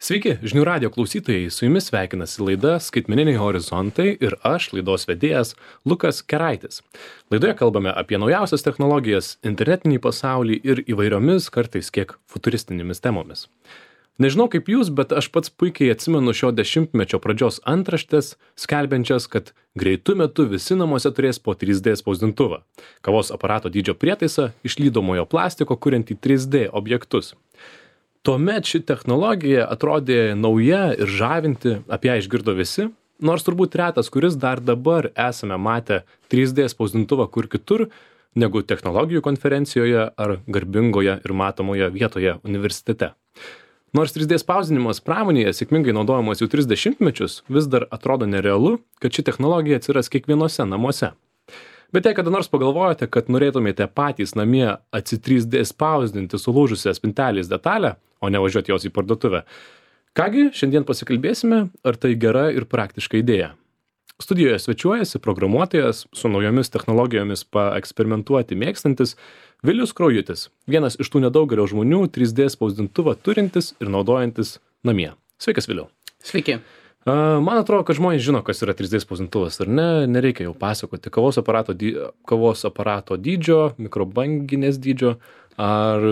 Sveiki, žinių radio klausytojai, su jumis sveikinasi laida Skaitmeniniai horizontai ir aš, laidos vedėjas Lukas Keraitis. Laidoje kalbame apie naujausias technologijas, internetinį pasaulį ir įvairiomis, kartais kiek futuristinėmis temomis. Nežinau kaip jūs, bet aš pats puikiai atsimenu šio dešimtmečio pradžios antraštės, skelbiančias, kad greitu metu visi namuose turės po 3D spausdintuvą, kavos aparato dydžio prietaisą, iš lydomojo plastiko kuriantį 3D objektus. Tuomet ši technologija atrodė nauja ir žavinti, apie ją išgirdo visi, nors turbūt retas, kuris dar dabar esame matę 3D spausdintuvą kur kitur, negu technologijų konferencijoje ar garbingoje ir matomoje vietoje universitete. Nors 3D spausdinimas pramonėje sėkmingai naudojamas jau 30 mečius, vis dar atrodo nerealu, kad ši technologija atsiras kiekvienose namuose. Bet jei kada nors pagalvojate, kad norėtumėte patys namie atsi-3D spausdinti sulūžusią spintelės detalę, o ne važiuoti jos į parduotuvę. Kągi, šiandien pasikalbėsime, ar tai gera ir praktiška idėja. Studijoje svečiuojasi programuotojas su naujomis technologijomis paeksperimentuoti mėgstantis Vilius Kraujutis, vienas iš tų nedaugelio žmonių 3D spausdintuvą turintis ir naudojantis namie. Sveikas, Viliau. Sveiki. Man atrodo, kad žmonės žino, kas yra 3D spausdintuvas, ar ne? Nereikia jau pasakoti. Kavos aparato dydžio, mikrobanginės dydžio, ar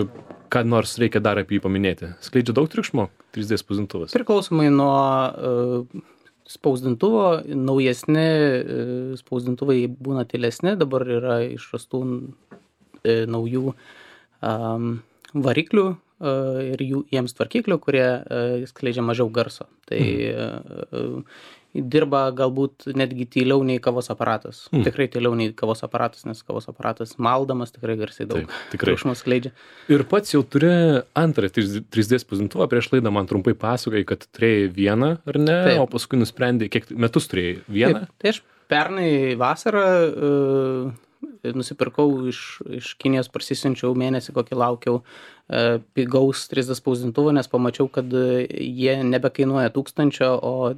ką nors reikia dar apie jį paminėti. Skleidžia daug triukšmo 3D spausdintuvas? Priklausomai nuo spausdintuvo, naujesni spausdintuvai būna tylesni, dabar yra išrastų naujų variklių ir jiems tvarkiklių, kurie skleidžia mažiau garso. Tai dirba galbūt netgi tyliau nei kavos aparatas. Tikrai tyliau nei kavos aparatas, nes kavos aparatas maldamas tikrai garsiai daug triukšmo skleidžia. Ir pats jau turi antrą 3D spausdintuvą, prieš laidą man trumpai pasakojai, kad turėjai vieną, ar ne? Taip. O paskui nusprendėjai, kiek metus turėjai vieną? Taip. Tai aš pernai vasarą nusipirkau iš Kinijos, parsisiunčiau mėnesį, kokį laukiau pigaus 3D spausdintuvą, nes pamačiau, kad jie nebekainuoja 1000, o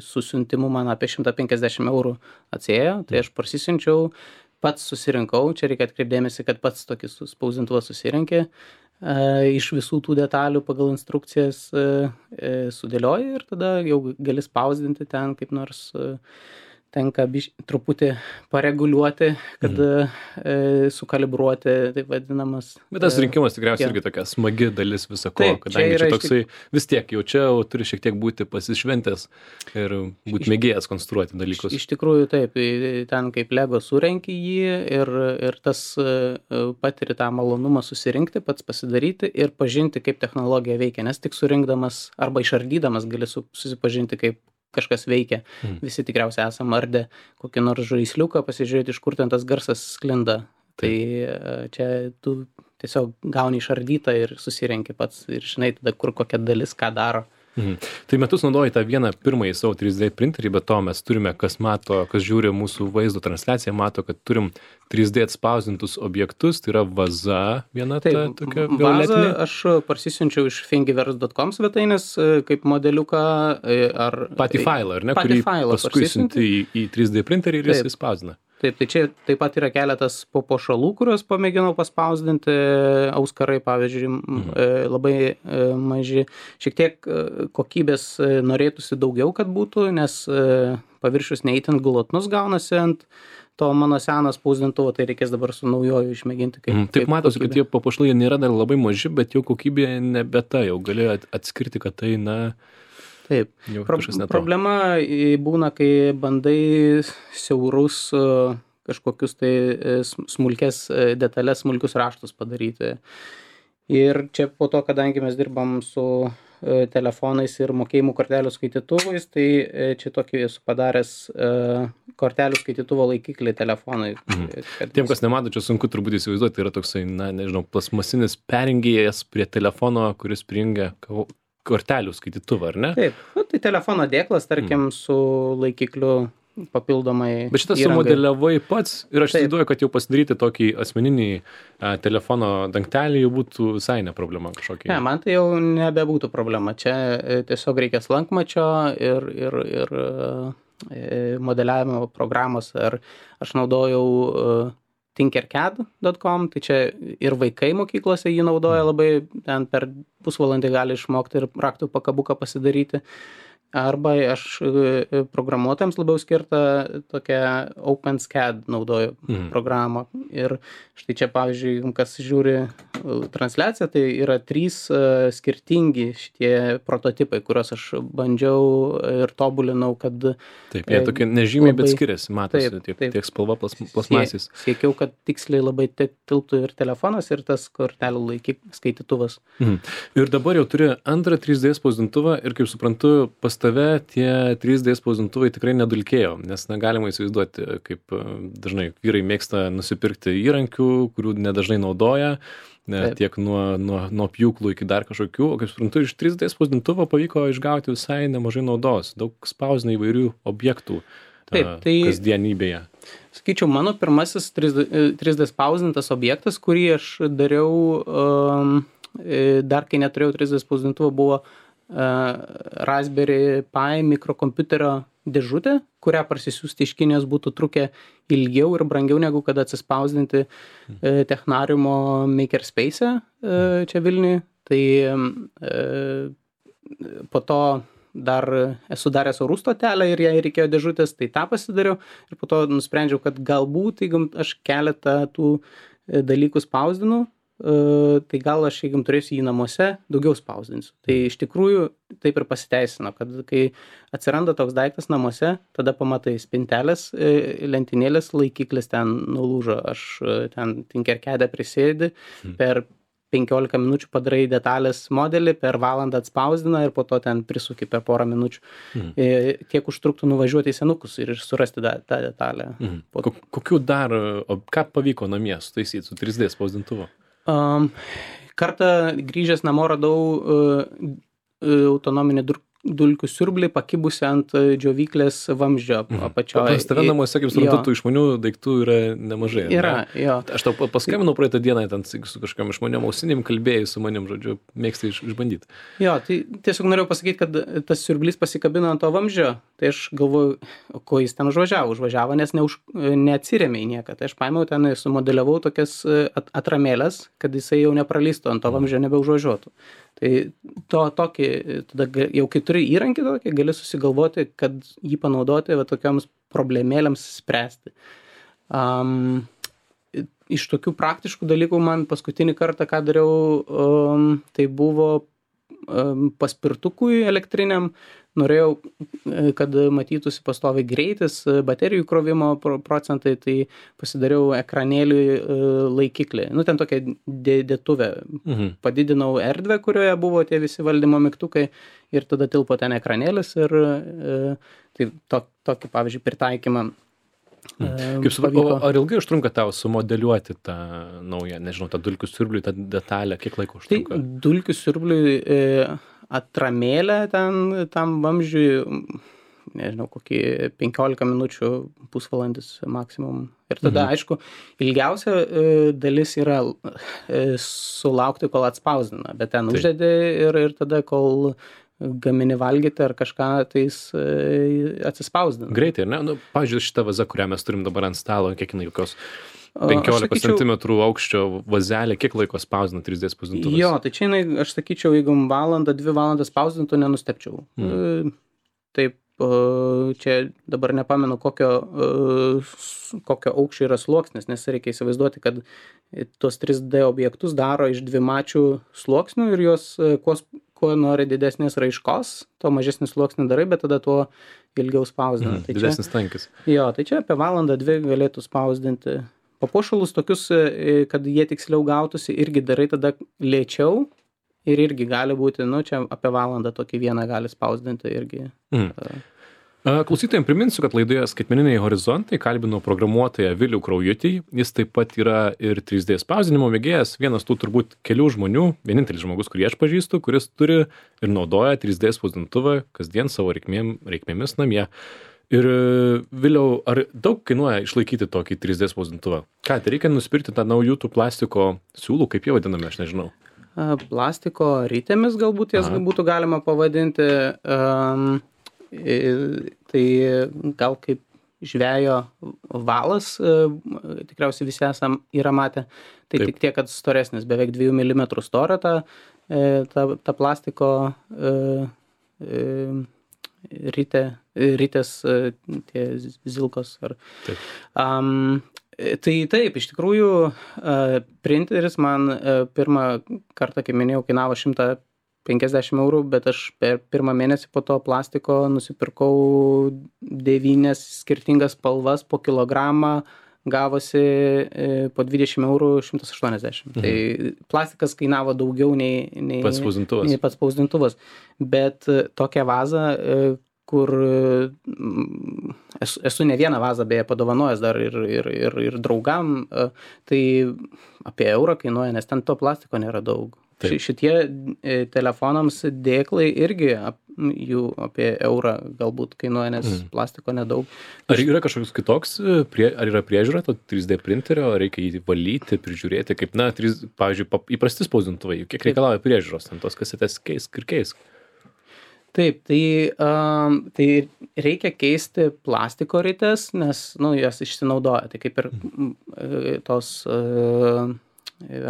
su siuntimu man apie 150 eurų atsėjo. Tai aš parsisiunčiau, pats susirinkau, čia reikia atkreipdėmėsi, kad pats tokį spausdintuvą susirinkė, iš visų tų detalių pagal instrukcijas sudėlioji ir tada jau gali spausdinti ten kaip nors. Tenka truputį pareguliuoti, kad sukalibruoti, taip vadinamas. Bet tas rinkimas tikriausiai irgi tokia smagi dalis visako, kadangi čia toksai vis tiek jau čia turi šiek tiek būti pasišventęs ir būti mėgėjas konstruoti dalykus. Iš tikrųjų taip, ten kaip Lego surenki jį ir tas patiri tą malonumą susirinkti, pats pasidaryti ir pažinti, kaip technologija veikia, nes tik surinkdamas arba išardydamas gali susipažinti, kaip kažkas veikia. Visi tikriausiai esam ardę kokį nors žaisliuką, pasižiūrėti, iš kur ten tas garsas sklinda. Tai čia tu tiesiog gauni išardytą ir susirenki pats ir žinai tada, kur kokia dalis ką daro. Tai metus naudoji tą vieną pirmąjį savo 3D printerį, bet to mes turime, kas žiūri mūsų vaizdo transliaciją, mato, kad turim 3D atspausdintus objektus, tai yra vaza viena ta tokia violetinė. Vazą aš parsisiunčiau iš thingiverse.com svetainės kaip modeliuką ar... Patį failą, ar ne? Kurį paskui siunti į 3D printerį ir jis spausdina. Taip, tai čia taip pat yra keletas papuošalų, kuriuos pamėginau paspausdinti, auskarai, pavyzdžiui, labai maži. Šiek tiek kokybės norėtųsi daugiau, kad būtų, nes paviršius neįtin glotnus gaunasi ant to mano seno spausdintuvo, tai reikės dabar su naujoju išmėginti. Taip matosi, kad tie papuošalai nėra dar labai maži, bet jau kokybė nebe ta, jau gali atskirti, kad tai, Taip. Problema būna, kai bandai siaurus kažkokius tai smulkes detalės, smulkius raštus padaryti. Ir čia po to, kadangi mes dirbam su telefonais ir mokėjimų kortelių skaitytuvais, tai čia tokį esu padaręs kortelių skaitytuvo laikiklį telefonai. Tiem, kas nemato, čia sunku turbūt įsivaizduoti, tai yra toksai, plasmasinis perjungėjas prie telefono, kuris prijungia kortelių skaitytuvą, ar ne? Taip, tai telefono dėklas, tarkim, su laikikliu papildomai. Bet šitas sumodeliavai pats ir aš įsivaizduoju, kad jau pasidaryti tokį asmeninį telefono dangtelį jau būtų visai ne problema kažkokia. Ne, man tai jau nebebūtų problema. Čia tiesiog reikia slankmačio ir modeliavimo programos. Ar aš naudojau tinkercad.com, tai čia ir vaikai mokyklose jį naudoja labai, ten per pusvalandį gali išmokti ir raktų pakabuką pasidaryti. Arba aš programuotojams labiau skirtą tokią OpenSCAD naudoju programą. Ir štai čia, pavyzdžiui, kas žiūri transliaciją, tai yra 3 skirtingi šitie prototipai, kuriuos aš bandžiau ir tobulinau, kad... Taip, jie tokie nežymiai, bet skiriasi, matosi, tiek spalva plasmasės. Siekiau, kad tiksliai labai tilptų ir telefonas, ir tas kortelių skaitytuvas. Ir dabar jau turi antrą 3D spausdintuvą ir, kaip suprantu, pas tave tie 3D spausdintuvai tikrai nedulkėjo, nes negalima įsivaizduoti, kaip dažnai vyrai mėgsta nusipirkti įrankių, kurių nedažnai naudoja, tiek nuo pjūklų iki dar kažkokių, o kaip suprantu, iš 3D spausdintuvo pavyko išgauti visai nemažai naudos, daug spausdina įvairių objektų kasdienybėje. Sakyčiau, mano pirmasis 3D spausdintas objektas, kurį aš dariau dar kai neturėjau 3D spausdintuvo, buvo Raspberry Pi mikrokompiuterio dėžutė, kurią parsisiųsti iš Kinijos būtų trukę ilgiau ir brangiau negu kad atsispausdinti Technariumo Makerspace čia Vilniuje. Tai po to dar esu daręs orų stotelę ir jai reikėjo dėžutės, tai tą pasidariau ir po to nusprendžiau, kad galbūt, jeigu aš keletą tų dalykų spausdinu, tai gal aš, jeigu turėsiu jį namuose, daugiau spausdinsiu. Tai iš tikrųjų taip ir pasiteisino, kad kai atsiranda toks daiktas namuose, tada pamatai spintelės, lentynėlės, laikiklis ten nulūžo, aš ten Tinkercad'e prisėdi, per 15 minučių padarai detalės modelį, per valandą atspausdina ir po to ten prisuki per porą minučių. Kiek užtruktų nuvažiuoti į senukus ir surasti tą detalę. Kokių dar, ką pavyko namie sutaisyti su 3D spausdintuvu? Kartą grįžęs namo radau autonominį dulkių siurblį pakibusi ant džiovyklės vamzdžio apačioje. Pas tave namuose, kaip suprantu, tų išmanių daiktų yra nemažai. Yra, jo. Aš tau paskambinau praeitą dieną, ten su kažkam išmaniom ausinėm kalbėjai su manim, žodžiu, mėgstai išbandyti. Jo, tai tiesiog norėjau pasakyti, kad tas siurblys pasikabino ant to vamzdžio, tai aš galvoju, ko jis ten užvažiavo, nes neatsirėmė į nieką. Tai aš paėmiau ten, sumodeliavau tokias atramėlės, kad jisai jau nepralystų ant to vamzdžio, nebeužvažiuotų. Tai tokį, tada jau kai turi įrankį tokį, gali susigalvoti, kad jį panaudoti va tokiams problemėlėms spręsti. Iš tokių praktiškų dalykų man paskutinį kartą, ką dariau, tai buvo paspirtukui elektriniam. Norėjau, kad matytųsi pastoviai greitis, baterijų krovimo procentai, tai pasidariau ekranėlį laikiklį. Ten tokia dėtuvė. Padidinau erdvę, kurioje buvo tie visi valdymo mygtukai ir tada tilpo ten ekranėlis ir tai tokį, pavyzdžiui, pritaikymą. Kaip supratau, ar ilgai užtrunka tau sumodeliuoti tą naują, nežinau, tą dulkių siurbliui, tą detalę, kiek laiko užtrunka? Tai dulkių siurbliui atramėlę tam vamzdžiui, nežinau, kokį 15 minučių, pusvalandis maksimum. Ir tada, aišku, ilgiausia dalis yra sulaukti, kol atspausdina, bet ten uždedi ir tada, kol gamini valgyti ar kažką, tai jis atsispausdina. Greitai, ar ne? Pavyzdžiui, šitą vazą, kurią mes turim dabar ant stalo, kiek jinai kokios 15 cm aukščio vazelė, kiek laiko spausdina 3D spausdintuvas? Jo, tai čia aš sakyčiau, jeigu 1-2 valandas spausdintų, nenustepčiau. Taip, čia dabar nepamenu, kokio aukščio yra sluoksnis, nes reikia įsivaizduoti, kad tos 3D objektus daro iš dvimačių sluoksnių ir jos kuo nori didesnės raiškos, to mažesnį sluoksnį darai, bet tada tuo ilgiau spausdina. Didesnis tankis. Jo, tai čia apie 1-2 galėtų spausdinti. Papuošalus tokius, kad jie tiksliau gautųsi, irgi darai tada lėčiau ir irgi gali būti, čia apie valandą tokį vieną gali spausdinti irgi. Klausytojams priminsiu, kad laidoje Skaitmeniniai horizontai kalbino programuotoją Vilių Kraujutį. Jis taip pat yra ir 3D spausdinimo mėgėjas, vienas tų turbūt kelių žmonių, vienintelis žmogus, kurį aš pažįstu, kuris turi ir naudoja 3D spausdintuvą kasdien savo reikmėmis namie. Ir Viliau, ar daug kainuoja išlaikyti tokį 3D spausdintuvą? Ką, tai reikia nusipirkti tą naujų tų plastiko siūlų, kaip jie vadiname, aš nežinau. Plastiko rytėmis galbūt jas būtų galima pavadinti. Tai gal kaip žvejo valas, tikriausiai visi yra matę, tai Taip. tik tiek, kad storesnis, beveik 2 mm storio ta plastiko ritės tie zilkos. Taip. Tai taip, iš tikrųjų, printeris man pirmą kartą, kaip minėjau, kainavo 150 eurų, bet aš per pirmą mėnesį po to plastiko nusipirkau 9 skirtingas spalvas po kilogramą, gavosi po 20 eurų 180. Tai plastikas kainavo daugiau nei Pats spausdintuvas. Bet tokią vazą, kur esu ne vieną vazą beje padovanojęs dar ir draugam, tai apie eurą kainuoja, nes ten to plastiko nėra daug. Šitie telefonams dėklai irgi jų apie eurą galbūt kainuoja, nes plastiko nedaug. Ar yra kažkoks kitoks, ar yra priežiūra to 3D printerio, ar reikia jį valyti, prižiūrėti, kaip, pavyzdžiui, įprasti spausdintuvai, kiek reikalauja priežiūros, tos kasetės keisk? Taip, tai reikia keisti plastiko rites, nes, jas išsinaudoja, tai kaip ir tos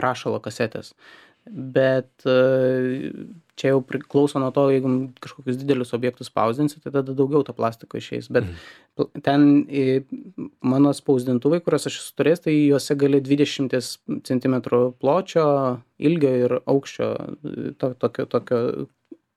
rašalo kasetės. Bet čia jau priklauso nuo to, jeigu kažkokius didelius objektus spausdinsi, tai tada daugiau to plastiko išeis. Bet ten mano spausdintuvai, kuriuos aš esu turėjęs, tai juose gali 20 cm pločio, ilgio ir aukščio tokio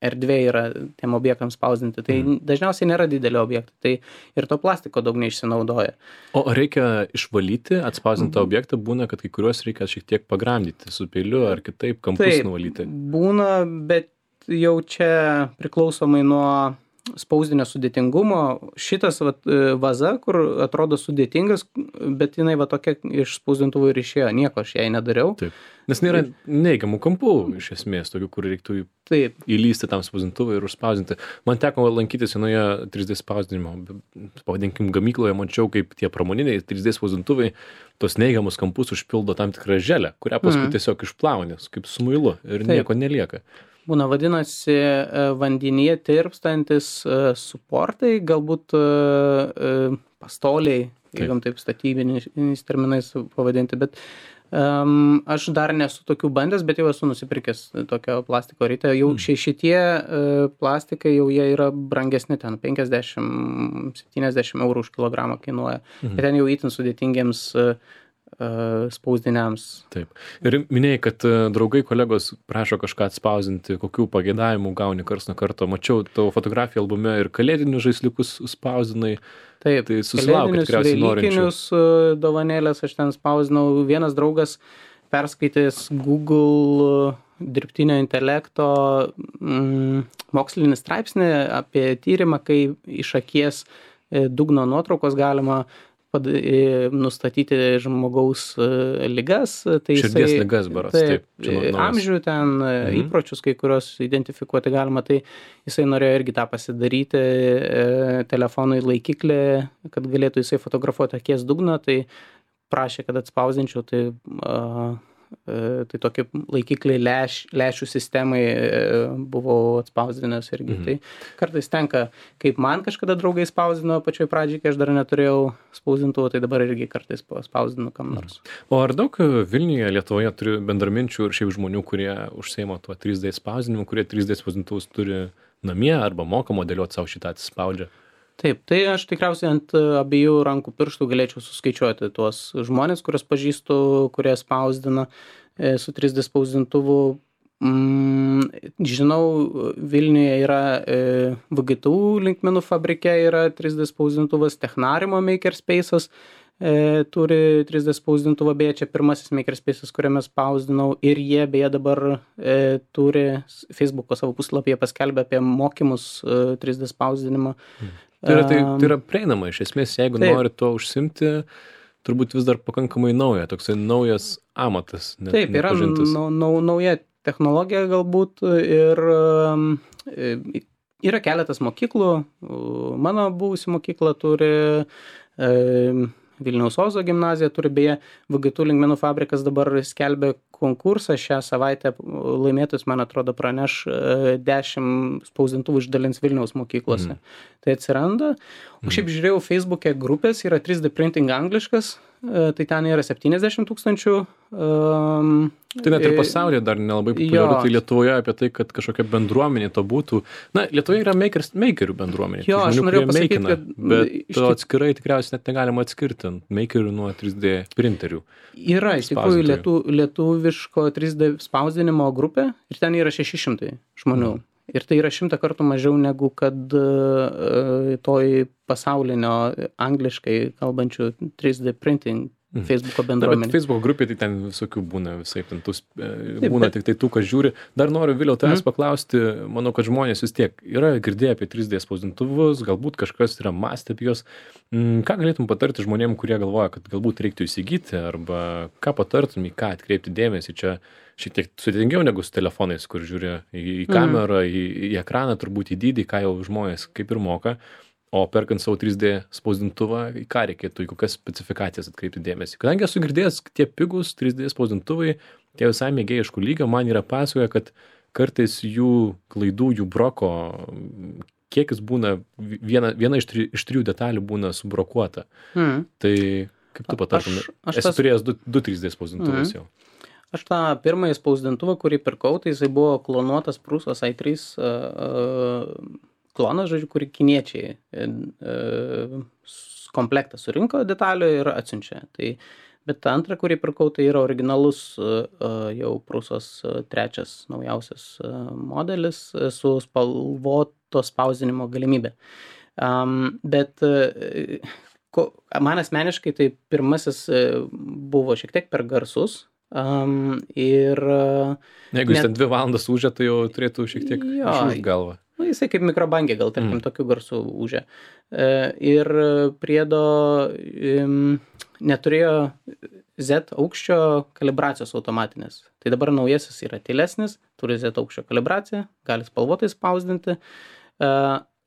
erdvė yra tiem objektams spausdinti. Tai dažniausiai nėra didelio objekto, tai ir to plastiko daug neišsinaudoja. O reikia išvalyti atspausdintą objektą, būna, kad kai kuriuos reikia šiek tiek pagramdyti su peiliu ar kitaip kampus nuvalyti? Būna, bet jau čia priklausomai nuo spausdinio sudėtingumo. Šitas vaza, kur atrodo sudėtingas, bet jinai tokia iš spausdintuvų ir išėjo. Nieko aš jai nedariau. Taip. Nes nėra neigiamų kampų iš esmės, tokių, kur reiktų įlysti tam spausdintuvui ir užspausdinti. Man teko lankytis vienoje 3D spausdinimo, pavadinkim, gamykloje, mačiau, kaip tie pramoniniai 3D spausdintuvai tos neigiamus kampus užpildo tam tikrą želę, kurią paskui tiesiog išplauni, kaip su muilu ir nieko nelieka. Būna, vadinasi, vandenyje tirpstantis suportai, galbūt pastoliai, jeigu taip statybiniais terminais pavadinti, bet aš dar nesu tokių bandęs, bet jau esu nusipirkęs tokio plastiko ritę. Jau šitie plastikai jau jie yra brangesni, ten 50-70 eurų už kilogramą kainuoja. Bet ten jau itin sudėtingiems spausdiniams. Taip. Ir minėjai, kad draugai, kolegos prašo kažką atspausdinti, kokių pageidavimų gauni karts nuo karto. Mačiau tavo fotografijų albume ir kalėdinius žaisliukus spausdinai. Taip, tai susilaukia tikriausiai norinčių. Velykinius dovanėlės aš ten spausdinau. Vienas draugas perskaitęs Google dirbtinio intelekto mokslinį straipsnį apie tyrimą, kai iš akies dugno nuotraukos galima nustatyti žmogaus ligas. Tai širdies ligas, baras. Taip. Amžių ten, įpročius, kai kurios identifikuoti galima, tai jisai norėjo irgi tą pasidaryti telefonui laikiklį, kad galėtų jisai fotografuoti akies dugną, tai prašė, kad atspausdinčiau, tai tokį laikiklį lęšių sistemai buvau atspausdinęs irgi. Tai kartais tenka, kaip man kažkada draugai spausdino pačioj pradžiai, kai aš dar neturėjau spausdintuvo, tai dabar irgi kartais spausdinu kam nors. O ar daug Vilniuje, Lietuvoje turi bendraminčių ir šiaip žmonių, kurie užsiima tuo 3D spausdinimu, kurie 3D spausdintuvus turi namie arba moka modeliuoti savo šitą atsispaudžia? Taip, tai aš tikriausiai ant abiejų rankų pirštų galėčiau suskaičiuoti tuos žmonės, kuriuos pažįstu, kurie spausdina su 3D spausdintuvu. Žinau, Vilniuje yra VGTU linkmenų fabrike yra 3D spausdintuvas, Technarimo Makerspace'as turi 3D spausdintuvą, beje, čia pirmasis Makerspace'as, kuriame spausdinau, ir jie beje dabar turi Facebook'o savo puslapyje paskelbę apie mokymus 3D spausdinimo. Tai yra prieinama, iš esmės, jeigu nori tuo užsimti, turbūt vis dar pakankamai nauja, toksai naujas amatas. Taip, yra nauja technologija galbūt ir yra keletas mokyklų. Mano buvusi mokykla turi, Vilniaus Ozo gimnazija turi, beje, VGTU linkmenų fabrikas dabar skelbia konkursą šią savaitę laimėtojus, man atrodo, praneš 10 spausdintuvų išdalins Vilniaus mokyklose. Tai atsiranda. O šiaip žiūrėjau Facebook'e grupės, yra 3D printing angliškas, tai ten yra 70 000. Tai net ir pasaulyje dar nelabai populiaru, tai Lietuvoje apie tai, kad kažkokia bendruomenė to būtų. Na, Lietuvoje yra makerių bendruomenė. Jo, aš norėjau pasakyti, kad... Bet to atskirai tikriausiai net negalima atskirti makerių nuo 3D printerių. Yra, iš tikrųjų, lietuviško 3D spausdinimo grupė ir ten yra 600 žmonių. Ir tai yra 100 kartų mažiau negu kad toj pasaulinio angliškai kalbančių 3D printing Facebook'o bendruomenė. Bet Facebook grupė tai ten visokių būna, visai ten būna tik tai tų, kas žiūri. Dar noriu vėliau tavęs paklausti, manau, kad žmonės vis tiek yra girdėję apie 3D spausdintuvus, galbūt kažkas yra mąstę apie juos. Ką galėtum patarti žmonėm, kurie galvoja, kad galbūt reiktų įsigyti, arba ką patartum, į ką atkreipti dėmesį? Čia šiek tiek sudėtingiau negu su telefonais, kur žiūri į kamerą, į ekraną, turbūt į dydį, ką jau žmonės kaip ir moka. O perkant savo 3D spausdintuvą, į ką reikėtų, į kokias specifikacijas atkreipti dėmesį. Kadangi esu girdėjęs, tie pigus 3D spausdintuvai, tie visai mėgėjiškų lygio, man yra pasakoja, kad kartais jų klaidų, jų broko kiekis būna, viena iš 3 detalių būna subrokuota. Tai kaip tu patartum? Esi turėjęs 2 3D spausdintuvus jau. Aš tą pirmąjį spausdintuvą, kurį pirkau, tai jisai buvo klonuotas Prusos i3 klonas, žodžiu, kurį kiniečiai komplektą surinko detalių ir atsiunčia. Bet antrą, kurį pirkau, tai yra originalus jau Prusos 3 naujausias modelis su spalvoto spausdinimo galimybė. Bet man asmeniškai tai pirmasis buvo šiek tiek per garsus. Jeigu jis ten 2 valandas ūžia, tai jau turėtų šiek tiek išūžt galvą. Jisai kaip mikrobangė, gal tarkim tokių garsų ūžia. Ir priedo neturėjo Z aukščio kalibracijos automatinės. Tai dabar naujasis yra tylesnis, turi Z aukščio kalibraciją, gali spalvotai spausdinti.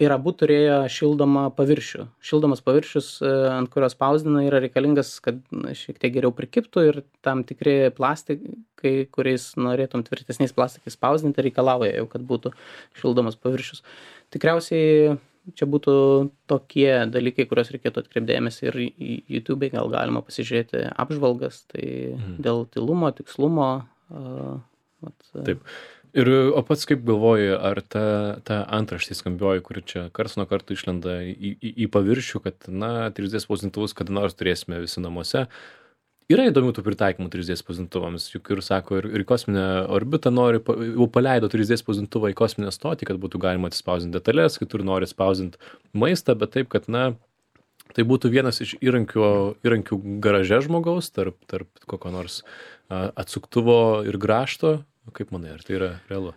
Ir abu turėjo šildomą paviršių. Šildomas paviršius, ant kurio spausdina, yra reikalingas, kad šiek tiek geriau prikiptų ir tam tikri plastikai, kuriais norėtum tvirtesniais plastikais spausdinti, reikalauja jau, kad būtų šildomas paviršius. Tikriausiai čia būtų tokie dalykai, kuriuos reikėtų atkreipdėmėsi ir YouTube gal galima pasižiūrėti apžvalgas, tai dėl tylumo, tikslumo. Taip. O pats kaip galvoji, ar ta antraštė skambioji, kuri čia karts nuo karto išlenda į paviršių, kad, 3D spausdintuvus kada nors turėsime visi namuose. Yra įdomių tų pritaikymų 3D spausdintuvams, juk ir sako, ir kosminę orbitą jau paleido 3D spausdintuvą į kosminę stotį, kad būtų galima atspausdinti detalės, kitur nori spausdinti maistą, bet taip, kad, tai būtų vienas iš įrankių garaže žmogaus, tarp kokio nors atsuktuvo ir grąžto. Kaip manai, ar tai yra realu?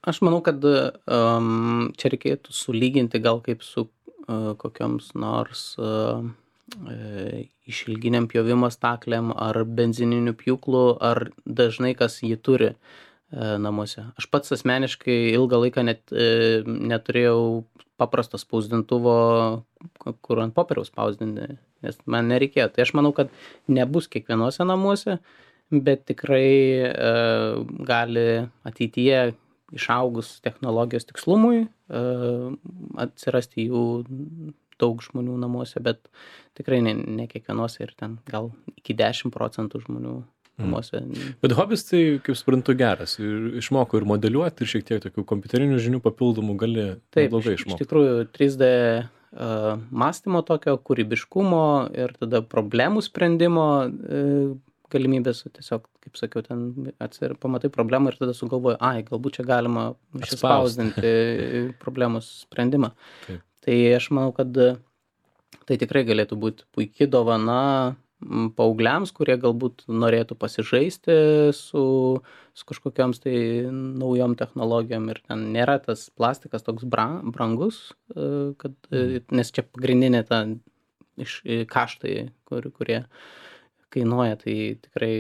Aš manau, kad čia reikėtų sulyginti gal kaip su kokioms nors išilginiam pjovimo staklėm ar benzininiu pjūklu, ar dažnai kas jį turi namuose. Aš pats asmeniškai ilgą laiką neturėjau paprasto spausdintuvo, kur ant popieriaus spausdinti, nes man nereikėjo. Tai aš manau, kad nebus kiekvienuose namuose, bet tikrai gali ateityje išaugus technologijos tikslumui atsirasti jų daug žmonių namuose, bet tikrai ne kiekvienuose ir ten gal iki 10% žmonių namuose. Bet hobis tai, kaip suprantu, geras. Ir išmoko ir modeliuoti, ir šiek tiek tokių kompiuterinių žinių papildomų gali neblogai išmokti. Iš tikrųjų 3D mąstymo tokio, kūrybiškumo ir tada problemų sprendimo galimybės, tiesiog, kaip sakiau, ten pamatai problemą ir tada sugalvoji, galbūt čia galima išspausdinti problemos sprendimą. Taip. Tai aš manau, kad tai tikrai galėtų būti puikia dovana paaugliams, kurie galbūt norėtų pasižaisti su kažkokiams tai naujom technologijom ir ten nėra tas plastikas toks brangus, nes čia pagrindinė ta kaštai, kurie kainuoja, tai tikrai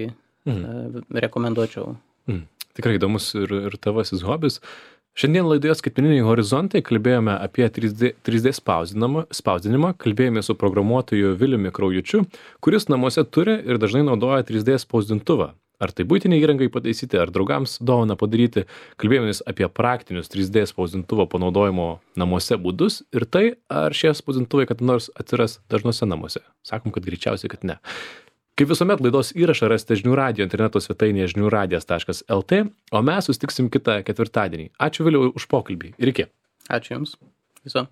rekomenduočiau. Tikrai įdomus ir tavasis hobis. Šiandien laidoje Skaitmeniniai horizontai kalbėjome apie 3D spausdinimą, kalbėjome su programuotoju Viliumi Kraujučiu, kuris namuose turi ir dažnai naudoja 3D spausdintuvą. Ar tai buitiniai įrangai pataisyti, ar draugams dovaną padaryti. Kalbėjomės apie praktinius 3D spausdintuvo panaudojimo namuose būdus ir tai, ar šie spausdintuvai kada nors atsiras dažnuose namuose. Sakom, kad greičiausiai, kad ne. Kaip visuomet, laidos įrašą rasite žinių radijo interneto svetainėje žiniųradijas.lt, o mes susitiksim kitą ketvirtadienį. Ačiū Viliau už pokalbį ir iki. Ačiū Jums. Viso.